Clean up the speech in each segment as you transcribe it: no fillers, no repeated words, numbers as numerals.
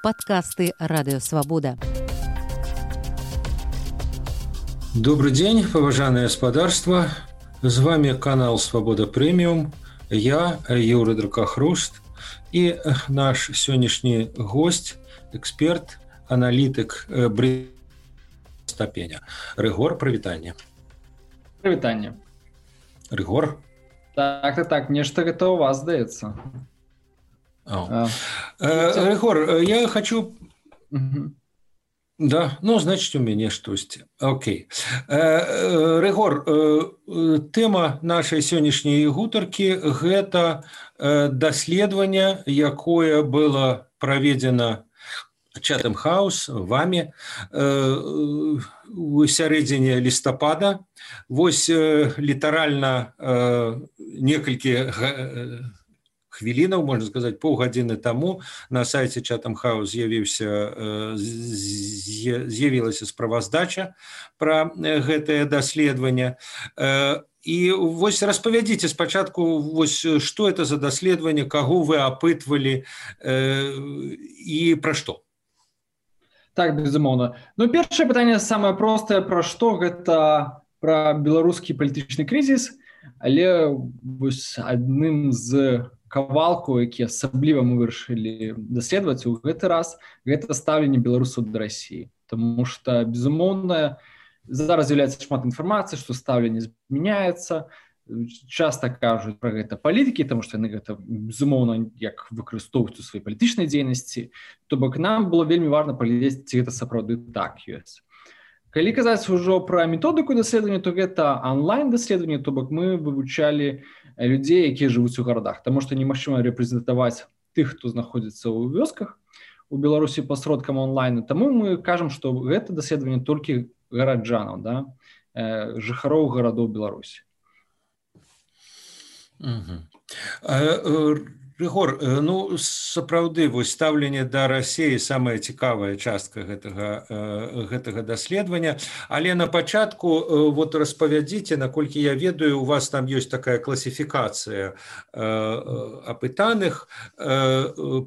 подкасты «Радио Свобода». Добрый день, поважанное господарство. С вами канал «Свобода Премиум». Я, Юрий Дракохруст, и наш сегодняшний гость, эксперт, аналитик ступеня. Рыгор, привітанне. Привітанне. Рыгор? Так, нечто гэта у вас здаецца. Рыгор, я хочу... Да, ну, значит, у меня штось. Окей. Рыгор, тема нашей сегодняшней гутаркі – гэта даследаванне, якое было проведено Chatham House вами у сярэдзіне лістапада. Вось літаральна некалькі хвілінаў, можна сказаць, паўгадзіны таму на сайце Chatham House з'явілася справаздача пра гэтае даследаванне. І вось распавядзіце спачатку, вось што это за даследаванне, каго вы апытвалі і пра што? Так, безумоўна. Ну, першае пытанне самае простае, пра што гэта пра беларускі палітычны крызіс, але вось адным з кавалку, які асабліва мы вырашылі даследаваць у гэты раз, гэта стаўленне беларусаў да Расіі. Таму што, безумоўна, зараз з'яўляецца шмат інфармацыі, што стаўленне змяняецца. Часта кажуць пра гэта палітыкі, таму што яны гэта, безумоўна, як выкарыстоўваюць у сваёй палітычнай дзейнасці. То бок нам было вельмі важна паглядзець, ці гэта сапраўды так ёсць. Калі казаць ужо пра методыку даследавання, то гэта онлайн-даследаванне, то бок мы вывучалі людзей, якія жывуць у гарадах, таму што немагчыма рэпрэзентаваць тых, хто знаходзіцца ў вёсках у Беларусі пасродкам онлайну. Таму мы кажам, што гэта даследаванне толькі гараджанаў, да? Жыхароў гарадоў Беларусі. Рыгор, ну, сапраўды, вось стаўленне да Расіі самая цікавая частка гэтага даследавання, але на пачатку вот распавядзіце, наколькі я ведаю, у вас там ёсць такая класіфікацыя апытаных,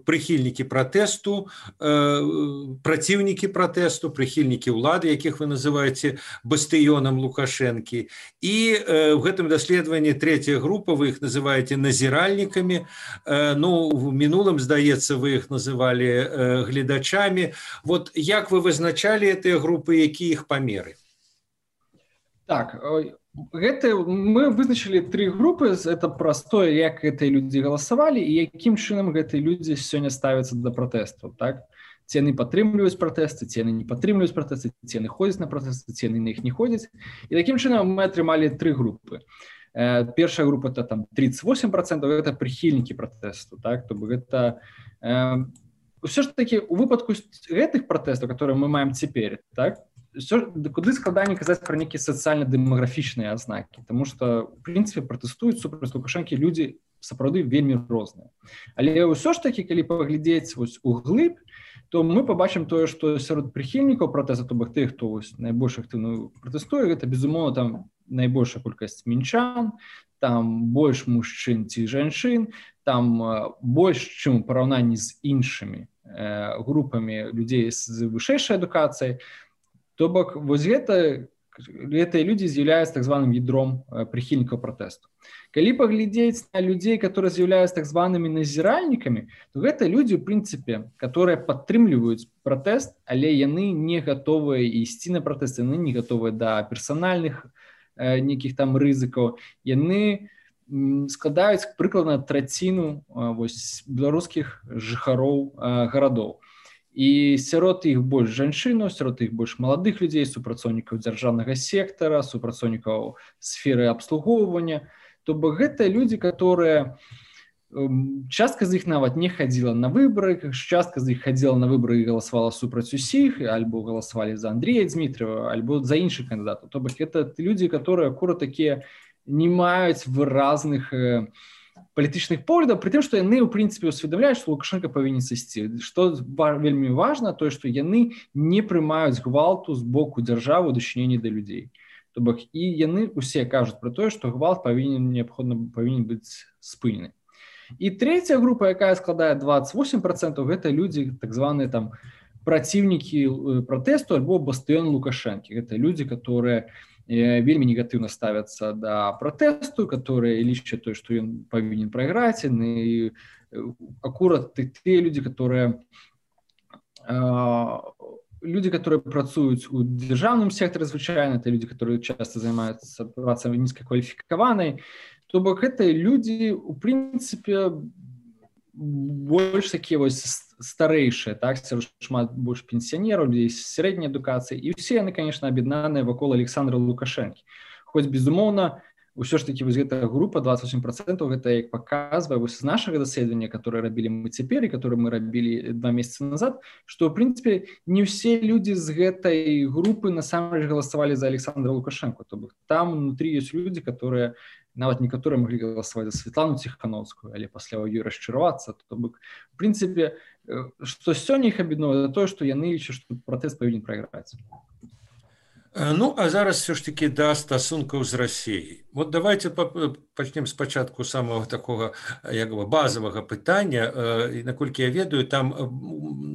прыхільнікі пратэсту, праціўнікі пратэсту, прыхільнікі ўлады, якіх вы называеце бастыёнам Лукашэнкі. І в гэтым даследаванні трэцяя група, вы іх называеце назіральнікамі. Ну, в мінулым, здаецца, вы іх называлі гледачамі. Вот як вы вызначалі гэтыя групы, якія іх памеры? Так, мы вызначылі тры групы. Это простое, як гэтыя людзі галасавалі і якім чынам гэтыя людзі сёння ставяцца да пратэстаў, так? Ці яны падтрымліваюць пратэсты, ці яны не падтрымліваюць пратэсты, ці яны ходзяць на пратэсты, ці яны на іх не ходзяць. І такім чынам мы атрымалі тры групы. Першая група это там 38%, это прыхільнікі пратэсту, так? То бок гэта ўсё ж такі у выпадку гэтых пратэстаў, которые мы маем цяпер, так? Куды складаней казаць пра нейкія сацыяльна-дэмаграфічныя азнакі, таму што, в прынцыпе, пратэстуюць супраць Лукашэнкі людзі сапраўды вельмі розныя. Але ўсё ж такі, калі паглядзець вось углыб, то мы побачым тое, што сярод прыхільнікаў пратэсту, то бок тых, хто найбольш актыўна пратэстуе, гэта, безумоўна, там найбольшая колькасць мінчан, там больш мужчын ці жанчын, там больш, чым у параўнанні з іншымі групамі людзей з вышэйшай адукацыяй. То бок вось гэтыя людзі з'яўляюцца так званым ядром прыхільнікаў пратэсту. Калі паглядзець на людзей, которые з'яўляюцца так званымі назіральнікамі, то гэта людзі, у прынцыпе, которые падтрымліваюць пратэст, але яны не гатовыя ісці на пратэст, яны не гатовыя да персанальных нейкіх там рызыкаў. Яны складаюць прыкладна траціну беларускіх жыхароў гарадоў. І сярод іх больш жанчынаў, сярод іх больш маладых людзей, супрацоўнікаў дзяржаўнага сектара, супрацоўнікаў сферы абслугоўвання. То бок гэта людзі, которые частка з іх нават не хадзіла на выбары, частка з іх хадзіла на выбары і галасавала супраць усіх, альбо галасавалі за Андрея Дзмітрыева, альбо за іншых кандыдатаў. То бок гэта людзі, которые акурат такія не маюць выразных палітычных поглядаў, пры тым, што яны, у прынцыпе, усведамляюць, што Лукашенко павінен сысці. Што вельмі важна, тое, што яны не прымаюць гвалту з боку дзяржавы ў дачыненні да людзей. То бок і яны усе кажуць пра тое, што гвалт павінен быць спынены. І третья група, якая складае 28%, гэта людзі так званыя там праціўнікі пратэсту альбо бастыён Лукашэнкі. Гэта людзі, которые вельмі негатыўна ставяцца да пратэсту, которые лічаць тое, што ён павінен прайграць, і акурат тыя людзі, которые працуюць у дзяржаўным сектары звычайна, это людзі, которые часто займаюцца працай нізкакваліфікаванай. То бок гэта людзі, у прынцыпе, больш такія вось старэйшыя, так, шмат больш пенсіянераў, людзей з сярэдняй адукацыі, і ўсе яны, конечно, аб'яднаныя вакол Александра Лукашэнкі. Хоць, безумоўна, ўсё ж такі вось гэтая група 28%, гэта як паказвае вось з нашага даследавання, которое рабілі мы цяпер і которое мы рабілі 2 месяцы назад, што ў прынцыпе не ўсе людзі з гэтай групы насамрэч галасавалі за Александра Лукашэнку. То бок там внутрі ёсць людзі, которые нават некаторыя маглі галасаваць за Святлану Ціхановскую, але пасля ў ёй расчаравацца. То бок, у прынцыпе, што сёння іх аб'ядноўвае, тое, што яны лічаць, што пратэст павінен прайграць. Ну, а зараз все ж таки да стасункаў з Расіяй. Вот давайте пачнем спачатку самого такого як бы базовага пытання. І наколькі я ведаю, там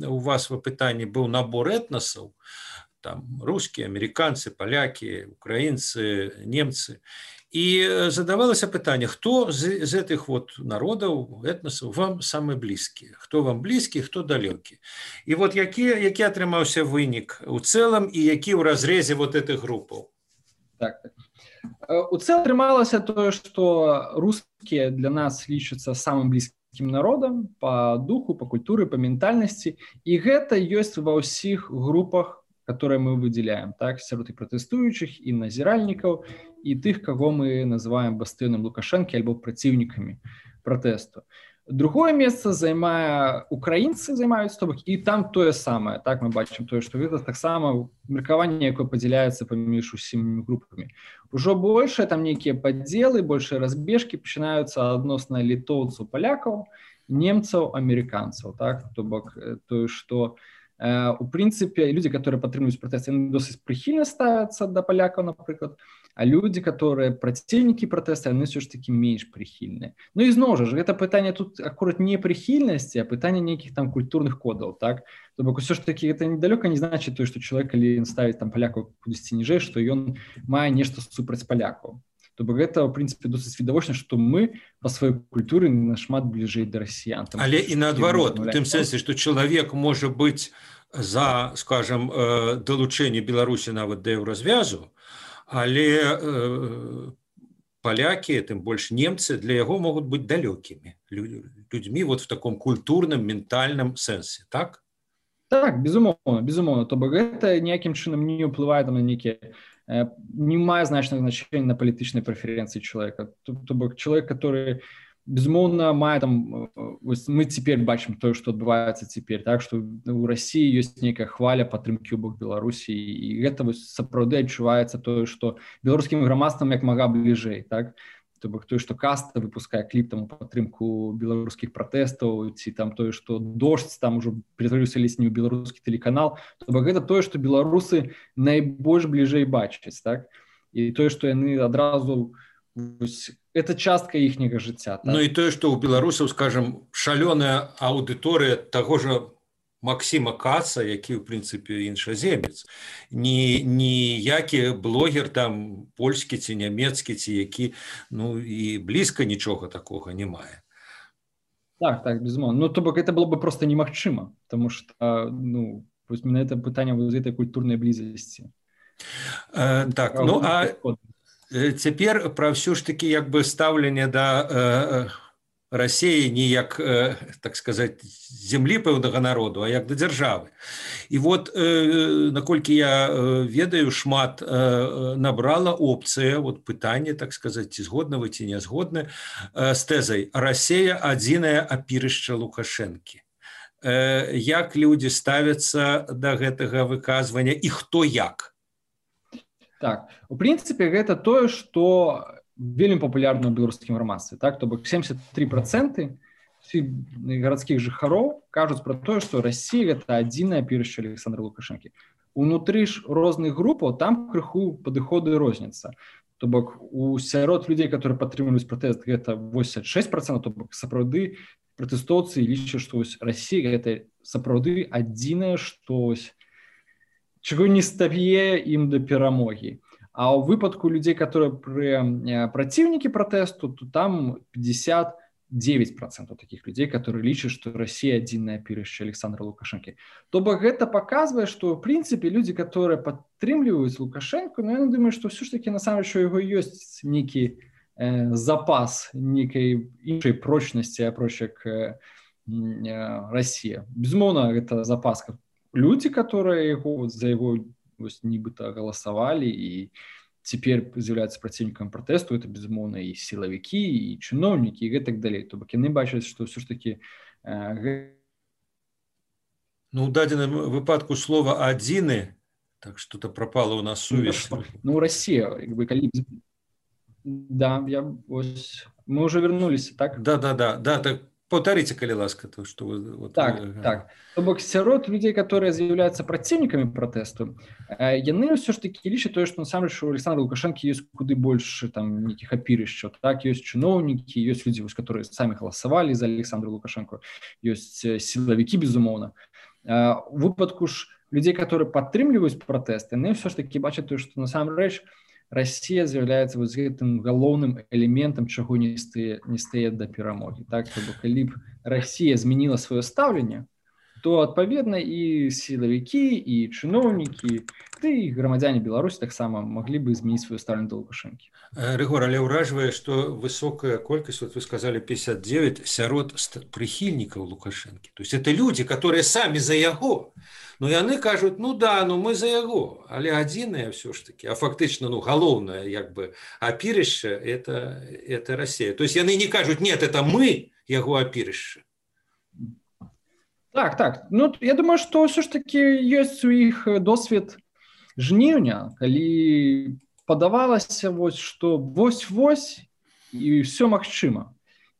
у вас в пытанні быў набор этнасаў, там рускія, амерыканцы, палякі, украінцы, немцы. І задавалася пытанне, хто з гэтых вот народаў, этнасаў вам самы блізкі? Хто вам блізкі, хто далёкі? І вот які атрымаўся вынік у цэлым і які ў разрезе вот этих групаў? Так. У цэлым атрымалася тое, што рускія для нас лічацца самым блізкім народам па духу, па культуры, па ментальнасці. І гэта ёсць ва ўсіх групах, которые мы выделяем, так, сярод і пратэстуючых, і назіральнікаў, і тых, каго мы называем бастыёнам Лукашэнкі альбо праціўнікамі пратэсту. Другое месца украінцы займаюць, то бок, і там тое самае, так, мы бачым тое, што гэта таксама меркаванне, якое падзяляецца паміж усімі групамі. Ужо большыя там нейкія падзелы, большыя разбежкі пачынаюцца адносна літоўцаў, палякаў, немцаў, амерыканцаў, так, то бок, тое, што у прынцыпе, людзі, которые падтрымліваюць пратэст, яны досыць прыхільна ставяцца да палякаў, напрыклад, а людзі, которые праціўнікі пратэста, яны ўсё ж такі менш прыхільныя. Ну і зноў жа, гэта пытанне тут акурат не прыхільнасці, а пытанне нейкіх там культурных кодаў, так? То бок усё ж такі гэта недалёка не значыць тое, што чалавек, калі ён ставіць там палякаў кудысьці ніжэй, што ён мае нешта супраць палякаў. То бок гэта, в прынцыпе, досыць відавочна, што мы па сваёй культуры нашмат бліжэй да расіян. Але і наадварот, у тым сэнсе, што чалавек можа быць за, скажам, далучэнне Беларусі нават да еўразвязу, але палякі, тым больш немцы, для яго могуць быць далёкімі людзьмі вот в таком культурным, ментальным сэнсе, так? Так, безумоўна. То бок гэта ніякім чынам не ўплывае на нейкія не мае значнага значення на палітычнай прэферэнцыі чалавека. То бок чалавек, который безумоўна мае там, мы цяпер бачым тое, што адбываецца цяпер, так, што у Расіі ёсць нейкая хваля падтрымкі ў бок Беларусі, і гэта сапраўды адчуваецца тое, што беларускім грамадствам як мага бліжэй, так. То бок тое, што Каста выпускае кліп там у падтрымку беларускіх пратэстаў, ці там тое, што Дождь там ужо ператварыўся ледзь не ў беларускі тэлеканал, то бок гэта тое, што беларусы найбольш бліжэй бачаць, так? І тое, што яны адразу это частка іхняга жыцця, так? Ну і тое, што ў беларусаў, скажам, шалёная аўдыторыя таго ж Максіма Каца, які, в прынцыпе, іншаземец. Ніякі блогер там польскі ці нямецкі, ці які, ну, і блізка нічога такога не мае. Так, безумоўна. Ну, то бок, это было бы просто немагчыма, потому что, ну, вось мене это пытанне з этой культурнай блізасці. Так, ну, а цяпер пра ўсё ж такі, як бы, стаўленне да Расіі не як, так сказаць, зямлі пэўнага народу, а як да дзяржавы. І вот, наколькі я ведаю, шмат набрала опцыя, вот пытанне, так сказаць, ці згодны вы, ці не згодны, з тэзай «Расія – адзінае апірышча Лукашэнкі». Як людзі ставяцца да гэтага выказвання і хто як? Так, у прынцыпе, гэта тое, што вельмі папулярна ў беларускім грамадстве, так, то бок 73% гарадскіх жыхароў кажуць пра тое, што Расія гэта адзінае апірышча Александра Лукашэнкі. унутры ж розных групаў там крыху падыходы розніца. То бок у сярод людзей, которые падтрымліваюць пратэст, гэта 86%, то бок сапраўды пратэстоўцы лічаць, што Расія гэта сапраўды адзінае, што чаго не стае ім да перамогі. А ў выпадку людзей, которые праціўнікі пратэсту, то там 59% таких людей, которые лічаць, што Расія адзінае апірышча Александра Лукашэнкі. То бок гэта паказвае, што ў прынцыпе людзі, которые падтрымліваюць Лукашэнку, ну, я думаю, што ўсё ж такі насамрэч у яго ёсць нейкі запас нейкай іншай прочнасці, апроч як Расія. Безумоўна, гэта запас. Людзі, которые за яго нібыта галасавалі і цяпер з'яўляюцца праціўнікам пратэсту, это, безумоўна, і сілавікі, і чыноўнікі, і гэтак далей. То бок яны бачаць, што ўсё ж такі... Ну, у дадзеным выпадку слова «адзіны», так што-то пропала у нас сувязь. Ну, Расія, калі... Да, мы уже вернулись, так? Да, так повторите, калі ласка, то, что вы... Так. То бок сярод людзей, которые з'яўляюцца праціўнікамі пратэсту, яны ўсё ж такі лічаць тое, што насамрэч у Александра Лукашэнкі ёсць куды больш там нейкіх апірышчаў. Так, ёсць чыноўнікі, ёсць людзі, которые самі галасавалі за Александра Лукашэнку, ёсць сілавікі, безумоўна. У выпадку ж людзей, которые падтрымліваюць пратэст, яны ўсё ж такі бачаць тое, што насамрэч Расія з'яўляецца гэтым галоўным элементам, чаго не стае да перамогі. Так, то бок калі б Расія змяніла сваё стаўленне, то адпаведна і сілавікі, і чыноўнікі, ды і грамадзяне Беларусі таксама маглі бы змяніць сваё стаўленне да Лукашэнкі. Рыгор, але ўражвае, што высокая колькасць, вот вы сказали 59, сярод прыхільнікаў Лукашэнкі. То есть это людзі, которые самі за яго. Ну, яны кажуць, ну да, ну мы за яго, але адзінае ўсё ж такі. А фактычна, ну, галоўнае, як бы, апірышча – это Расія. То есть яны не кажуць, нет, это мы яго апірышча. Так. Ну, я думаю, што ўсё ж такі ёсць у іх досвед жніўня, калі падавалася, што вось-вось і ўсё магчыма.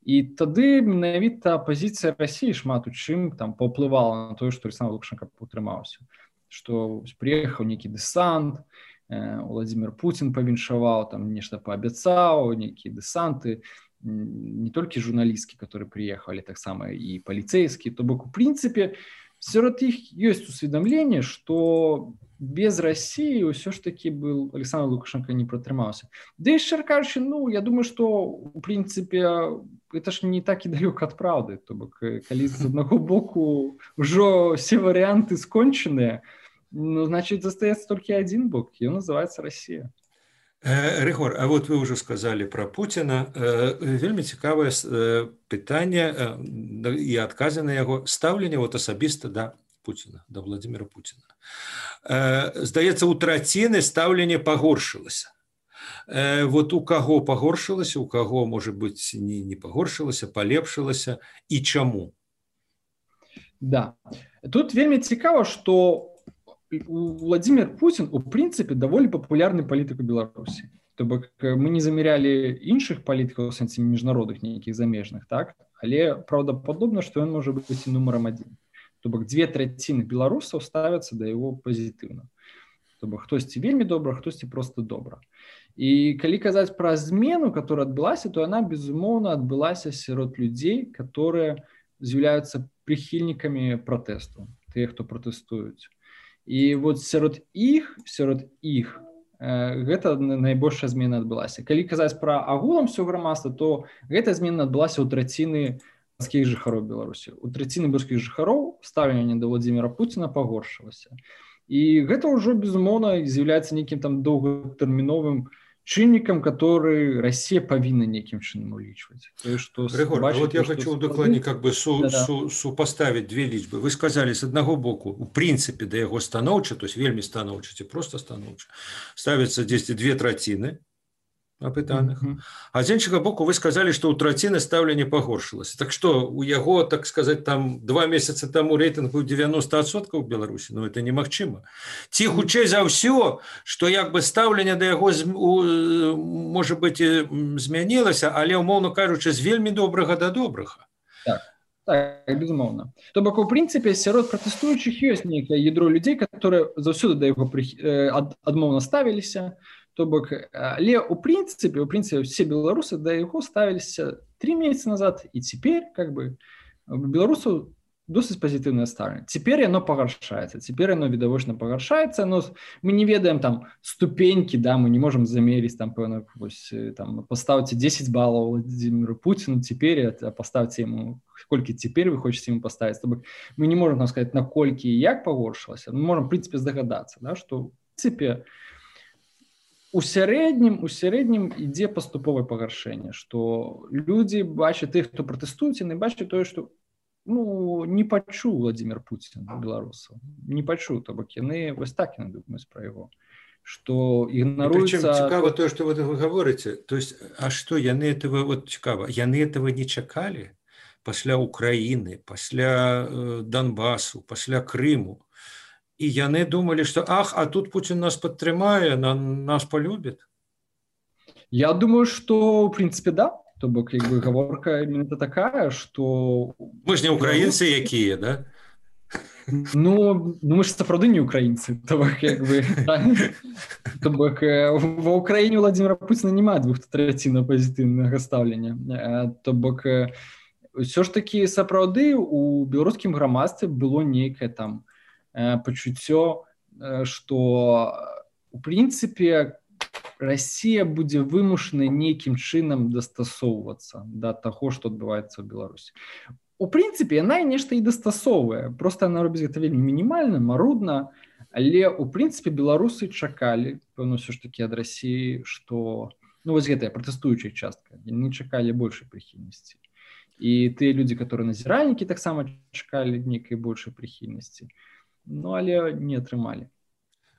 І тады менавіта пазіцыя Расіі шмат у чым там паўплывала на тое, што Александр Лукашенко утрымаўся. Што прыехаў нейкі дэсант, Владимир Путин павіншаваў, там нешта паабяцаў, нейкія дэсанты, не толькі журналісткі, которые прыехалі, таксама і паліцэйскі. То бок, у прынцыпе, сярод іх ёсць усведамленне, што без России все ж таки был Александр Лукашенко не протрымаўся. Да и шчыра кажучы, ну, я думаю, что в принципе это ж не так и далёка от правды. То бок, калі з аднаго боку ўжо все варианты скончаныя, ну, значит, застаецца толькі один бок, и он называется Россия. Рыгор, а вот вы уже сказали про Путина. Вельмі цікавае пытанне і адказы на яго стаўленне вот асабіста да Путина, да Владимира Путина. Здаецца, у траціны стаўленне пагоршылася. Вот у каго пагоршылася, у каго, может быть, не пагоршылася, палепшылася, і чаму? Да. Тут вельмі цікава, што Владимир Путин, у прынцыпе, даволі папулярны палітык у Беларусі. То бок мы не замярялі іншых палітыкаў у сэнсе міжнародных нейкіх замежных, так? Але праўдападобна, што ён можа быць і нумарам адзін. То бок 2/3 беларусаў ставяцца да яго пазітыўна. То бок хтосьці вельмі добра, хтосьці проста добра. І калі казаць пра змену, которая адбылася, то яна, безумоўна, адбылася сярод людзей, которые з'яўляюцца прыхільнікамі пратэсту, тыя, хто пратэстуюць. І вот сярод іх гэта найбольшая змена адбылася. Калі казаць пра агулам ўсё грамадства, то гэта змена адбылася ў траціны беларускіх жыхароў Беларусі. У траціны беларускіх жыхароў стаўленне да Владимира Путина пагоршылася. І гэта ўжо, безумоўна, з'яўляецца нейкім там доўгатэрміновым чыннікам, который Россия павінна нейкім чынам улічваць. Рыгор, вот я хочу докладней как бы супоставить две лічбы. Вы сказали, с одного боку, у прынцыпе да яго станоўча, то есть вельмі станоўча, ці просто станоўча, ставятся здесь 2/3 опытаных. А з іншага боку вы сказали, что у траціны стаўленне пагоршылася. Так что у яго, так сказать, там 2 месяца тому рейтинг быў 90% в Беларусі, но это немагчыма. Ці хутчэй за ўсё, что як бы стаўленне да яго может быть змянілася, але умоўно кажучы, з вельмі добрага да добрага. Так. Так, безумоўна. То бок, у прынцыпе, сярод пратэстуючых ёсць нейкае ядро людзей, которые заўсёды да яго адмоўна ставіліся. То бок, але у прынцыпе, все беларусы да яго ставіліся 3 месяцы назад, і цяпер, как бы, беларусаў досыць пазітыўнае стаўленне. Цяпер яно пагаршаецца, цяпер яно відавочна пагаршаецца, но мы не ведаем там ступенькі, да, мы не можам замерыць там, пэўна, вось, там, паставце 10 балаў Владимиру Путину цяпер, а паставце яму, колькі цяпер вы хочаце яму паставіць. То бок, мы не можам там сказаць, наколькі і як пагоршылася, мы можам, в прынцыпе, здагадацца, да, што, в прынцыпе, у сярэднім ідзе паступовае пагаршэнне, што людзі бачаць тых, хто пратэстуюць, яны бачаць тое, што не пачуў Владимир Путин беларусаў, не пачуў, то бок яны вось так яны думаюць пра яго, што ігнаруецца... Причем цікава то, што вы говорите, то есть, а што яны этого, вот цікава, яны этого не чакалі пасля Украіны, пасля Донбасу, пасля Крыму, і яны думалі, што ах, а тут Путин нас падтрымае, нас полюбіць? Я думаю, што, в прынцыпе, да. То бок, як бы, гаворка именно такая, што... Мы ж не украінцы якія, да? Ну, мы ж сапраўды не украінцы. То бок, як бы... То бок, ва Ўкраіне Владимира Путина няма 2/3 пазітыўнага стаўлення. То бок, ўсё ж такі сапраўды у беларускім грамадстве было нейкае там пачуццё, што, у прынцыпе, Расія будзе вымушана нейкім чынам дастасоўвацца да таго, што адбываецца ў Беларусі. У прынцыпе, яна нешта і дастасоўвае, проста яна робіць гэта вельмі мінімальна, марудна, але у прынцыпе беларусы чакалі, пэўна, ўсё ж такі ад Расіі, што, ну вось гэтая пратэстуючая частка, яны чакалі большай прыхільнасці. І тыя людзі, которые назіральнікі, таксама чакалі нейкай большай прыхільнасці, ну але не атрымалі.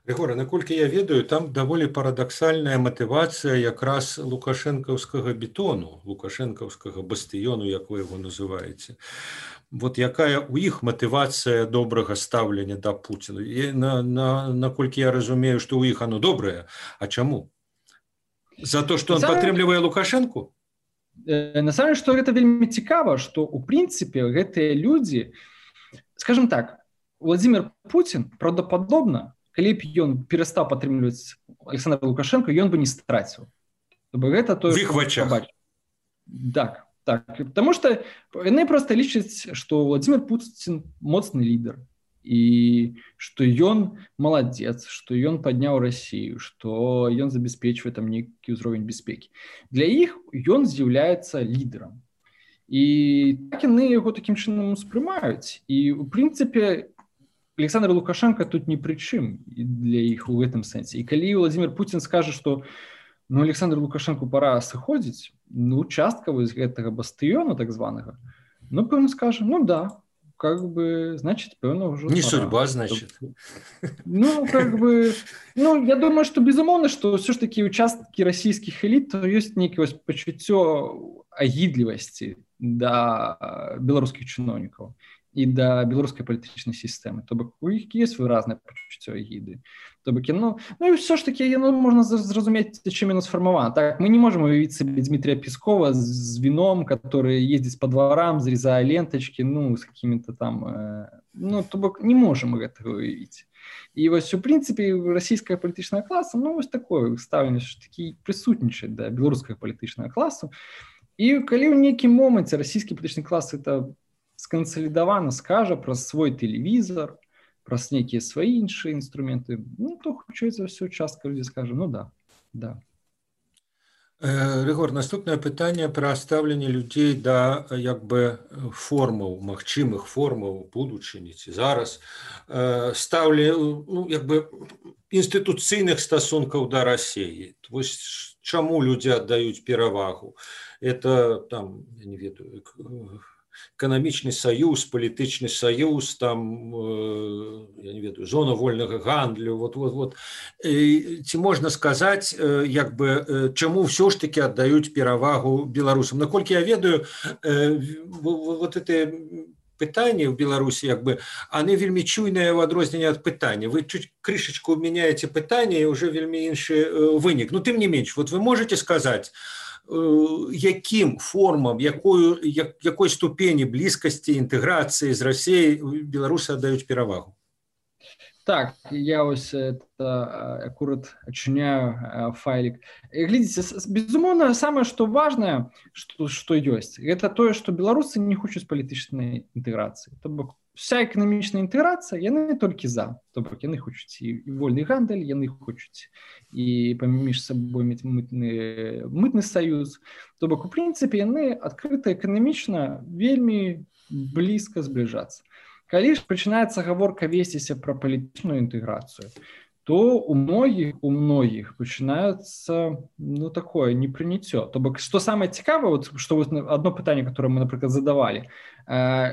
Рыгор, наколькі я ведаю, там даволі парадаксальная матывацыя якраз лукашэнкаўскага бетону, лукашэнкаўскага бастыёну, як вы яго называеце. Вот якая у іх матывацыя добрага стаўлення да Пуціна? Наколькі я разумею, што ў іх оно добрае, а чаму? За то, што он падтрымлівае Лукашэнку? Насамрэч, што гэта вельмі цікава, што у прынцыпе гэтыя людзі, скажем так, Владимир Путин правдападобна, калі б ён перастаў падтрымліваць Александра Лукашенко, ён бы не страціў. Гэта тое, што бачыць. Так. Таму што яны проста лічаць, што Владимир Путин моцны лідар і што ён маладзец, што ён падняў Расію, што ён забяспечвае там нейкі ўзровень бяспекі. Для іх ён з'яўляецца лідарам. І так яны яго такім чынам успрымаюць. І, у прынцыпе, Александр Лукашенко тут ні пры чым для іх у гэтым сэнсе. І калі Владимир Путин скажа, што ну, Александру Лукашенку пора сыходзіць, ну, частка вось гэтага бастыёна, так званага, ну, пэўна скажа, ну, да, как бы, значит, пэўна ўжо... Не судьба, значит. Ну, как бы, ну, я думаю, што безумоўна, што ўсё ж такі участкі расійскіх эліт, то ёсць нейкае пачуццё агідлівасці да беларускіх чыноўнікаў і да беларускай палітычнай сістэмы. То бок у іх ёсць выразнае пачуццё агіды. То бок яно, ну і ўсё ж такі яно можна зразумець, чым яно сфармавана. Так, мы не можам уявіць сабе Дмітрия Пескова з віном, который ездзіць па дварам, зрезае лентачкі, ну, з какими-то там, ну, то бок не можам гэтага уявіць. І вось у прынцыпе расійская палітычная класа, ну, вось такое стаўленне, што такі прысутнічае да беларускага палітычнага класу. І калі ў нейкім моманце расійскі палітычны клас это скансалідавана скажа праз свой тэлевізор, праз нейкія свае іншыя інструменты, ну, то хутчэй за ўсё частка людзей скажа, ну да, да. Рыгор, наступнае пытанне пра стаўленне людзей да, як бы, формаў, магчымых формаў будучыні ці зараз, ну, як бы, інстытуцыйных стасункаў да Расіі. Вось чаму людзі аддаюць перавагу? Это, там, я не ведаю, эканамічны саюз, палітычны саюз, там, я не ведаю, зона вольнага гандлю, вот. Ці можна сказаць, як бы, чаму ўсё ж таки аддаюць перавагу беларусам? Наколькі я ведаю, вот это пытанні ў Беларусі, як бы, они вельмі чуйныя ў адрозненне ад пытання. Вы чуть крышечку меняете пытанне, і ўжо вельмі іншы вынік. Ну, тым не менш, вот вы можете сказаць, якім формам, якой ступені блізкасці інтэграцыі з Расіяй беларусы аддаюць перавагу? Так, я ось это аккурат отчиняю файлик. Глядите, безумовно, самое, что важное, что есть, это то, что белорусы не хотят политической интеграции. То бок вся экономичная интеграция, яны только за. То бок яны хотят и вольный гандель, яны хотят и поміж собой мытный союз. То бок, в принципе, яны открыто экономично вельми близко сближаться. Калі ж пачынаецца гаворка весціся пра палітычную інтэграцыю, то у многіх пачынаецца такое непрыняццё. То бок, што самае цікавае, што одно пытанне, которое мы, напрыклад, задавалі,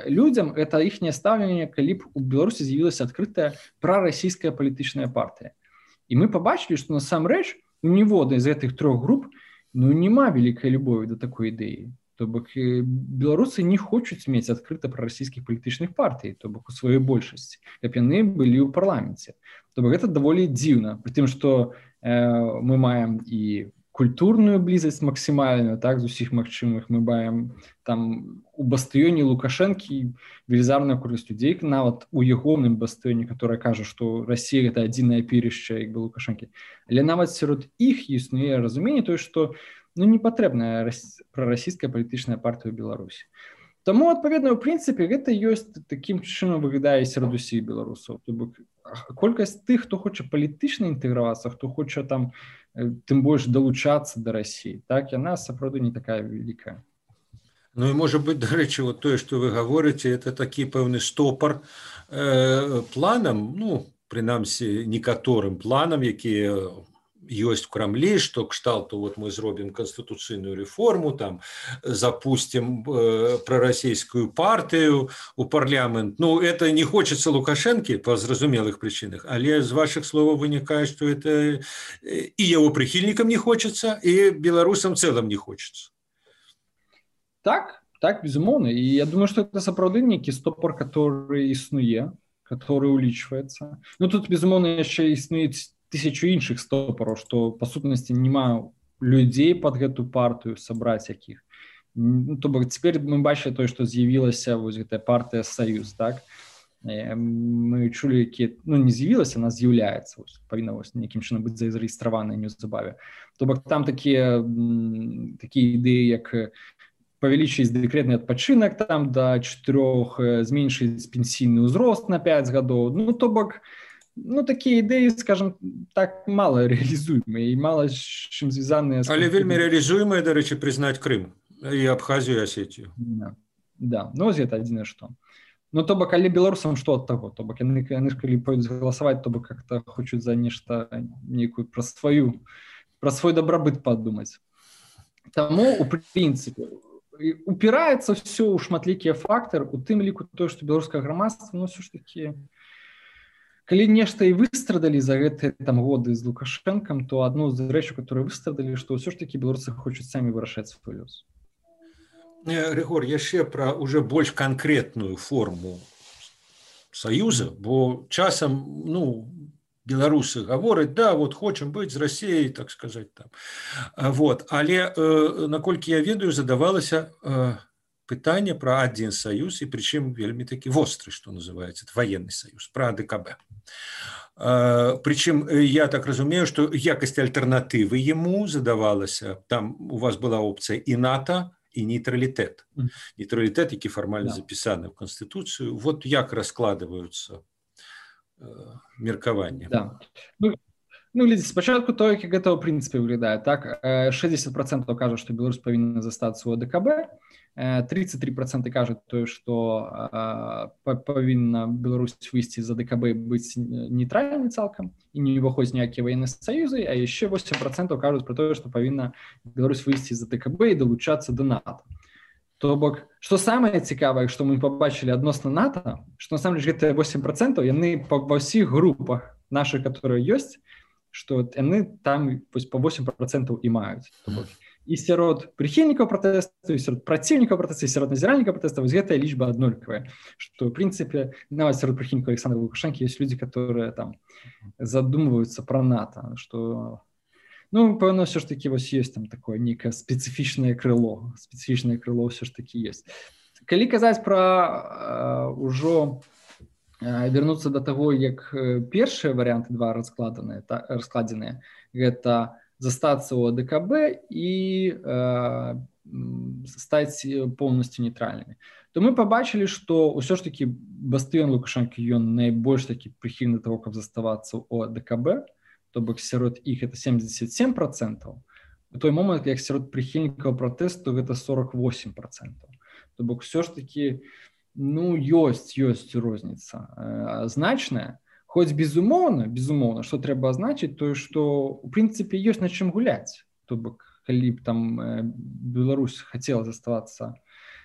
людзям это іхняе стаўленне, калі б у Беларусі з'явілася адкрытая прарасійская палітычная партыя. І мы пабачылі, што насамрэч у ніводнай з гэтых трох груп няма вялікай любові да такой ідэі. То бок беларусы не хочуць мець адкрыта прарасійскіх палітычных партый, то бок у сваёй большасці, каб яны былі ў парламенце. То бок гэта даволі дзіўна, пры тым, што мы маем і культурную блізасць максімальную, так, з усіх магчымых, мы маем там у бастыёне Лукашэнкі велізарную колькасць людзей, нават у ягоным бастыёне, которая кажа, што Расія гэта адзінае апірышча, як бы Лукашэнкі. Але нават сярод іх існуе разуменне тое, што не патрэбная прарасійская палітычная партыя ў Беларусі. Таму, адпаведна, ў прынцыпе, гэта ёсць такім чынам выглядае сярод усіх беларусаў. То бок колькасць тых, хто хоча палітычна інтэгравацца, хто хоча там тым больш далучацца да Расіі, так, яна сапраўды не такая вялікая. Ну і можа быць, дарэчы, вот тое, што вы гаворыце, это такі пэўны стопар планам, прынамсі, некаторым планам, якія ёсць в Крамлі, што кшталту вот мы зробім канстытуцыйную рэформу, там запустим прарасійскую партыю у парламент. Это не хочется Лукашэнкі па зразумелых прычынах, але з вашых словаў вынікае, што это і яго прыхільнікам не хочется, і беларусам цэлым не хочется. Так, безумоўна. І я думаю, што это сапраўды нейкі стопор, который існуе, который улічваецца. Тут, безумоўна, яшчэ існуюць тысячу іншых стопараў, што па сутнасці няма людзей пад гэту партыю сабраць якіх. То бок цяпер мы бачылі тое, што з'явілася вось гэтая партыя Саюз, так? Мы чулі, якія, не з'явілася, она з'яўляецца, павінна нейкім чынам быць зарэгістраваная неўзабаве. То бок там такія ідэі, як павялічыць дэкрэтны адпачынак там да 4, зменшыць пенсійны ўзрост на 5 гадоў. То бок такія ідэі, скажем так, мала рэалізуемыя і мала з чым звязаныя. Але вельмі рэалізуемыя, дарэчы, прызнаць Крым і Абхазію, і Асетію. Да, вось гэта адзінае што. То бок, але беларусам што ад таго? То бок, яны ж калі пойдуць галасаваць, то бок как-то хочуць за нешта нейкую пра свой дабрабыт падумаць. Таму, у прынцыпе, упіраецца ўсё ў шматлікія фактары, у тым ліку тое, што беларускае грамадства, ўсё ж такі, калі нешта і выстрадалі за гэтыя годы з Лукашэнкам, то адну з рэчаў, которые выстрадалі, што ўсё ж такі беларусы хочуць самі вырашаць свой лёс. Рыгор, яшчэ пра уже больш канкрэтную форму саюза, бо часам, беларусы гавораць, да, вот хочам быць з Расіяй, так сказаць там. Але, наколькі я ведаю, задавалася пытанне пра адзін саюз, і прычым вельмі такі востры, што называецца, военны саюз, пра АДКБ. Прычым, я так разумею, што якасць альтэрнатывы яму задавалася, там у вас была опцыя і НАТО, і нейтралітэт. Нейтралітэт, які фармальна запісаны ў Канстытуцыю. Вот як раскладваюцца меркаванні. Да. Глядзіце, спачатку то, як гэта ў прынцыпе выглядае. Так, 60% кажа, што Беларусь павінна застацца ў АДКБ, 33% кажуць тое, што павінна Беларусь выйсці з АДКБ, быць нейтральнай цалкам і не ўваходзіць ніякія ваенныя саюзы, а яшчэ 8% кажуць пра тое, што павінна Беларусь выйсці з АДКБ і далучацца да НАТО. То бок, што самае цікавае, што мы пабачылі адносна НАТО, што насамрэч гэтыя 8% яны па ўсіх групах нашых, которые ёсць, што яны там па 8% і маюць. То бок, і сярод прыхільнікаў пратэсту, і сярод праціўнікаў пратэсту, і сярод назіральнікаў пратэсту, вось гэтая лічба аднолькавая, што, ў прынцыпе, нават сярод прыхільнікаў Александра Лукашэнкі ёсць людзі, которые там задумваюцца пра НАТО, што Ну, пэўна, все ж таки вось ёсць там такое нейкае спецыфічнае крыло все ж таки есть. Калі казаць пра ўжо вярнуцца да таго, як першыя варыянты два раскладзеныя, гэта застацца ў АДКБ і стаць поўнасцю нейтральнымі, то мы пабачылі, што ўсё ж такі Бастыён Лукашэнкі ён найбольш такі прыхільны таго, каб заставацца ў АДКБ, то бок сярод іх это 77%, у той момант, як сярод прыхільнікаў пратэсту гэта 48%. То бок все ж такі ёсць розніца значная, хоць безумоўна, што трэба азначыць, тое, што у прынцыпе ёсць на чым гуляць. То бок калі б там Беларусь хацела заставацца,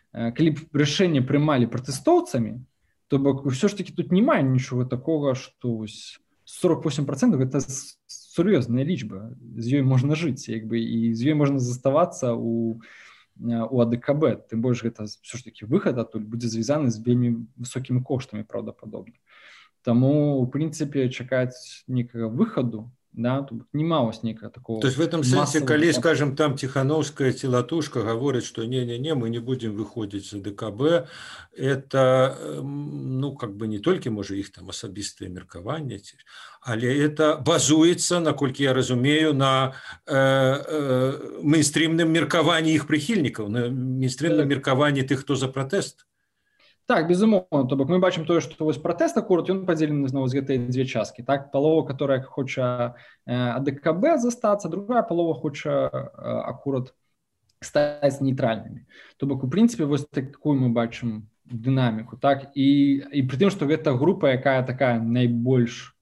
калі б рашэнне прымалі пратэстоўцамі, то бок ўсё ж такі тут не мае нічога такога, што 48% гэта сур'ёзная лічба, з ёй можна жыць, і з ёй можна заставацца у АДКБ, тым больш гэта ўсё ж такі выхад адтуль будзе звязаны з вельмі высокімі коштамі, праўдападобна. Таму, у прынцыпе, чакаць нейкага выхаду, да, нема вось нейкага такого. То есть в этом сэнсе, калі, скажем, там Тихановская ці Латушка гавораць, што не, мы не будем выходзіць з АДКБ, это, не толькі, можа, іх там асабістыя меркаванні, але это базуецца, наколькі я разумею, на мейнстрімным меркаванні іх прыхільнікаў, на мейнстрімным меркаванні тых, хто за пратэст. Так, безумоўна, то бок мы бачым тое, што вось пратэст акурат ён падзелены зноў з гэтай дзве часткі, так, палова, которая хоча АДКБ застацца, другая палова хоча акурат стаць нейтральнымі. То бок у прынцыпе вось такую мы бачым дынаміку, так, і пры тым, што гэта група, якая такая найбольш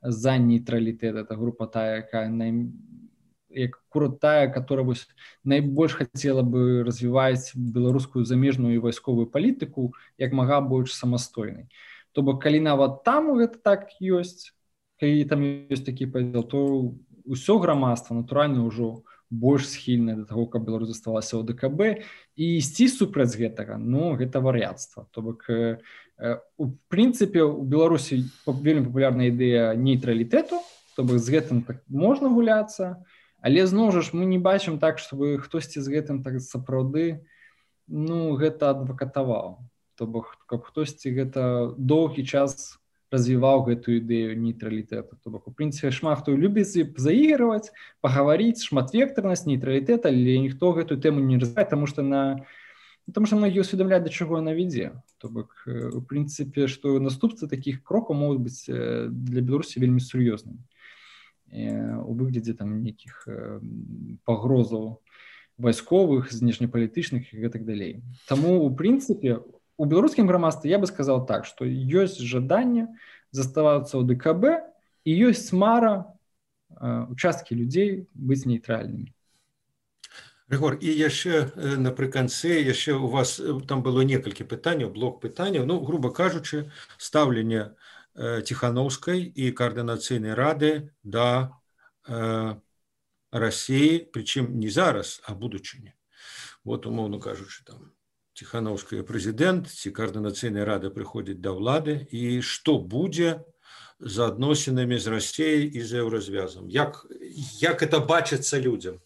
за нейтралітэт, это група тая, якая которая вось найбольш хацела бы развіваць беларускую замежную і вайсковую палітыку як мага больш самастойнай. То бок калі нават там гэта так ёсць, калі там ёсць такі падзел, то ўсё грамадства натуральна ўжо больш схільнае да таго, каб Беларусь заставалася ў АДКБ, і ісці супраць гэтага, гэта вар'яцтва. То бок у прынцыпе у Беларусі вельмі папулярная ідэя нейтралітэту, то бок з гэтым так можна гуляцца. Але зноў жа мы не бачым так, чтобы хтосьці з гэтым так сапраўды гэта адвакатаваў. То бок каб хтосьці гэта доўгі час развіваў гэтую ідэю нейтралітэту. То бок у прынцыпе шмат хто любіць заігрываць, пагаварыць, шматвектарнасць, нейтралітэт, але ніхто гэтую тэму не развівае, таму што многія ўсведамляюць, да чаго яна вядзе. То бок у прынцыпе, што наступствы такіх крокаў могуць быць для Беларусі вельмі сур'ёзнымі. У выглядзе там нейкіх пагрозаў вайсковых, знешнепалітычных і гэтак далей. Таму, у прынцыпе, у беларускім грамадстве я бы сказаў так, што ёсць жаданне заставацца ў АДКБ і ёсць мара участкі людзей быць нейтральнымі. Рыгор, і яшчэ напрыканцы, яшчэ у вас там было некалькі пытанняў, блок пытанняў, груба кажучы, стаўленне Тихановской и координацыйнай рады да России, причем не зараз, а будучыні. Вот, умоўно кажучы, там Тихановская президент, ці координацыйная рада прыходзіць да ўлады, і што будзе з адносінамі з Россией і з еўразвязам? Як это бачыцца людзям?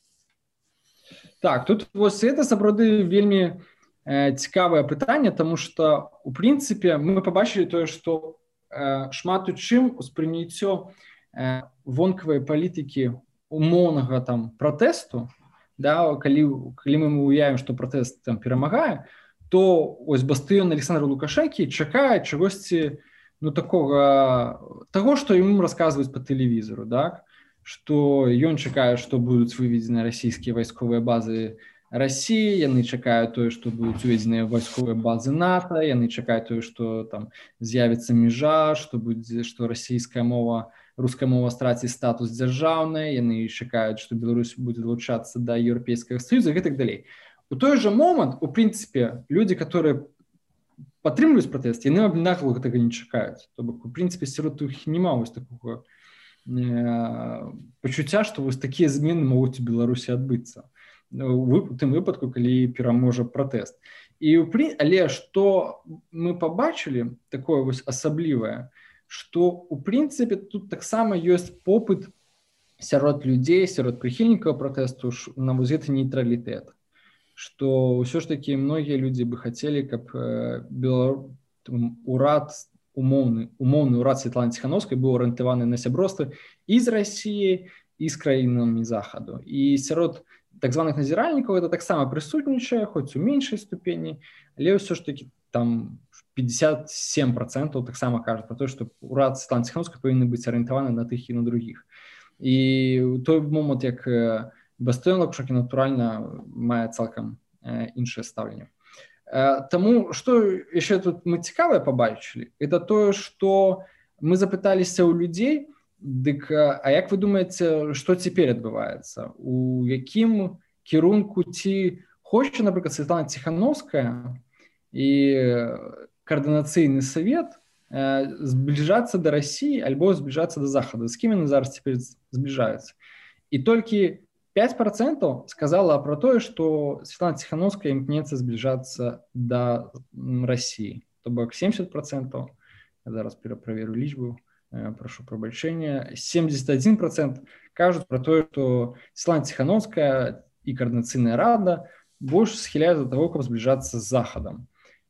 Так, тут вось это сапраўды вельмі цікавае пытанне, таму што у прынцыпе мы пабачылі тое, што шмат у чым успрыняццё вонкавай палітыкі умоўнага там пратэсту, да, калі мы уявім, што пратэст там перамагае, то ось Бастыён Александра Лукашэнкі чакае чагосьці такога таго, што ім расказваюць па тэлевізору, так, што ён чакае, што будуць выведзены расійскія вайсковыя базы России, яны чакаюць тое, што будуць уведзеныя вайсковыя базы НАТО, яны чакаюць тое, што там з'явіцца мяжа, што расійская мова, руская мова страціць статус дзяржаўнай, яны чакаюць, што Беларусь будзе далучацца да Еўрапейскага Саюза і гэтак далей. У той жа момант, у прынцыпе, людзі, которые падтрымліваюць пратэст, яны аднакова гэтага не чакаюць. То бок, у прынцыпе, сярод іх няма вось такога пачуцця, што вось такія змены могуць у Беларусі адбыцца. У тым выпадку, калі пераможа пратэст. Але што мы пабачылі такое вось асаблівае, што у прынцыпе тут таксама ёсць попыт сярод людзей, сярод прыхільнікаў пратэсту на вось гэты нейтралітэт, што ўсё ж такі многія людзі бы хацелі, каб урад умоўны ўрад Святланы Ціхановскай быў арыентаваны на сяброўства і з Расіяй, і з краінамі захаду. І сярод так званых назіральнікаў это таксама прысутнічае, хоць у меншай ступені, але ўсё ж такі там 57% таксама кажуць про то, што урад Святланы Ціхановскай павінны быць арыентаваны на тых і на другіх. І ў той момант, як Бастыён Лакушакі, натуральна, мае цалкам іншае стаўленне. Таму, што яшчэ тут мы цікавае пабачылі, это тое, што мы запыталіся ў людзей, дык, а як вы думаеце, што цяпер адбываецца? У якім кірунку ці хоча, напрыклад, Святлана Ціхановская і координацыйны совет зближаться до России альбо зближаться до Захода. С кем они зараз теперь сближаются? И только 5% сказала про то, что Светлана Тихановская имкнется сближаться до России. То бок 70%, я зараз перепроверю лічбу, прошу пробачения, 71% кажут про то, что Светлана Тихановская и Координационная рада больше схиляют до того, как сближаться с Заходом.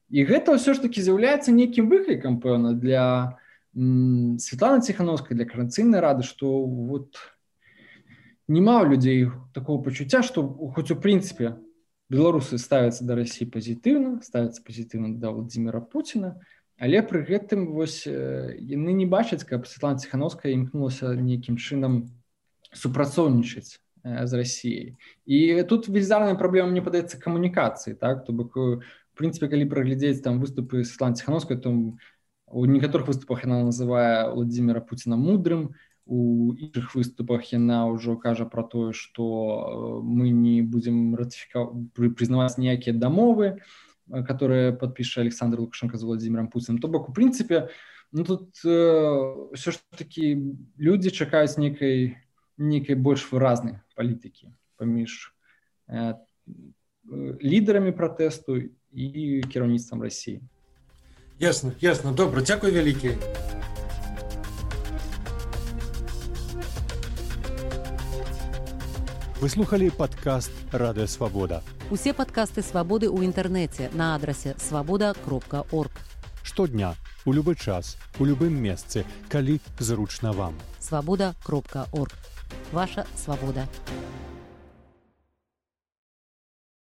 І гэта ўсё ж таки з'яўляецца нейкім выклікам, пэўна, для Светланы Ціхановскай, для Координацыйнай рады, што вот няма ў людзей такого пачуцця, што хоць у прынцыпе беларусы ставяцца да Расіі пазітыўна, ставяцца пазітыўна да Владзіміра Пуціна, але пры гэтым вось яны не бачаць, каб Светлана Ціхановская імкнулася нейкім чынам супрацоўнічаць з Расіяй. І тут велізарная праблема, мне падаецца, камунікацыі, так? То бок в принципе, калі праглядзець там выступы Светланы Ціхановскай, то у некаторых выступах яна называе Владзіміра Пуціна мудрым, у іншых выступах яна ўжо кажа пра тое, што мы не будзем прызнаваць ніякія дамовы, которые падпіша Александр Лукашенко з Владзімірам Пуціным. То бок, у прынцыпе, тут ўсё ж такі людзі чакаюць нейкай больш выразнай палітыкі паміж лідарамі пратэсту і кіраўніцтвам Расіі. Ясно. Добра, дзякуй вялікі. Вы слухали падкаст Радыё Свабода. Усе падкасты Свабоды ў інтэрнэце на адрасе свабода.орг. Штодня, у любы час, у любым месцы, калі зручна вам. Свабода.орг. Ваша свабода.